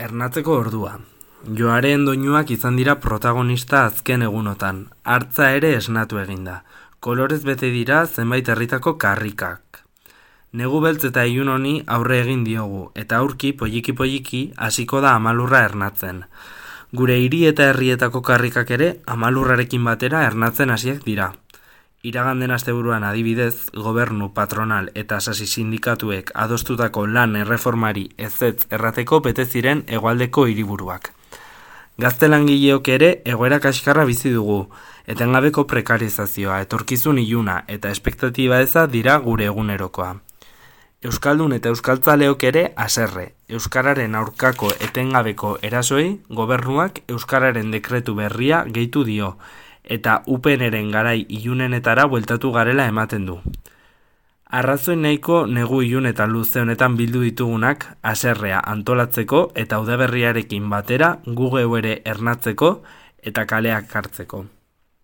Ernatzeko ordua. Joaren doinuak izan dira protagonista azken egunotan, hartza ere esnatu eginda. Kolorez bete dira zenbait herritako karrikak. Negu beltz eta ilun honi aurre egin diogu, eta aurki poliki hasiko da amalurra ernatzen. Gure hiri eta herrietako karrikak ere amalurrarekin batera ernatzen hasiak dira. Iraganden asteburuan adibidez, gobernu, patronal eta sasi sindikatuek adostutako lan erreformari ezetz errateko bete ziren hegoaldeko hiriburuak. Gazte langileok ere egoera kaskarra bizi dugu, etengabeko prekarizazioa, etorkizun iluna eta espektatiba eza dira gure egunerokoa. Euskaldun eta euskaltzaleok ere haserre, euskararen aurkako etengabeko erasoei gobernuak euskararen dekretu berria gehitu dio, eta UPNren garai ilunenetara bueltatu garela ematen du. Arrazoi nahiko negu ilun eta luze honetan bildu ditugunak haserrea antolatzeko eta udaberriarekin batera gu geu ere ernatzeko eta kaleak hartzeko.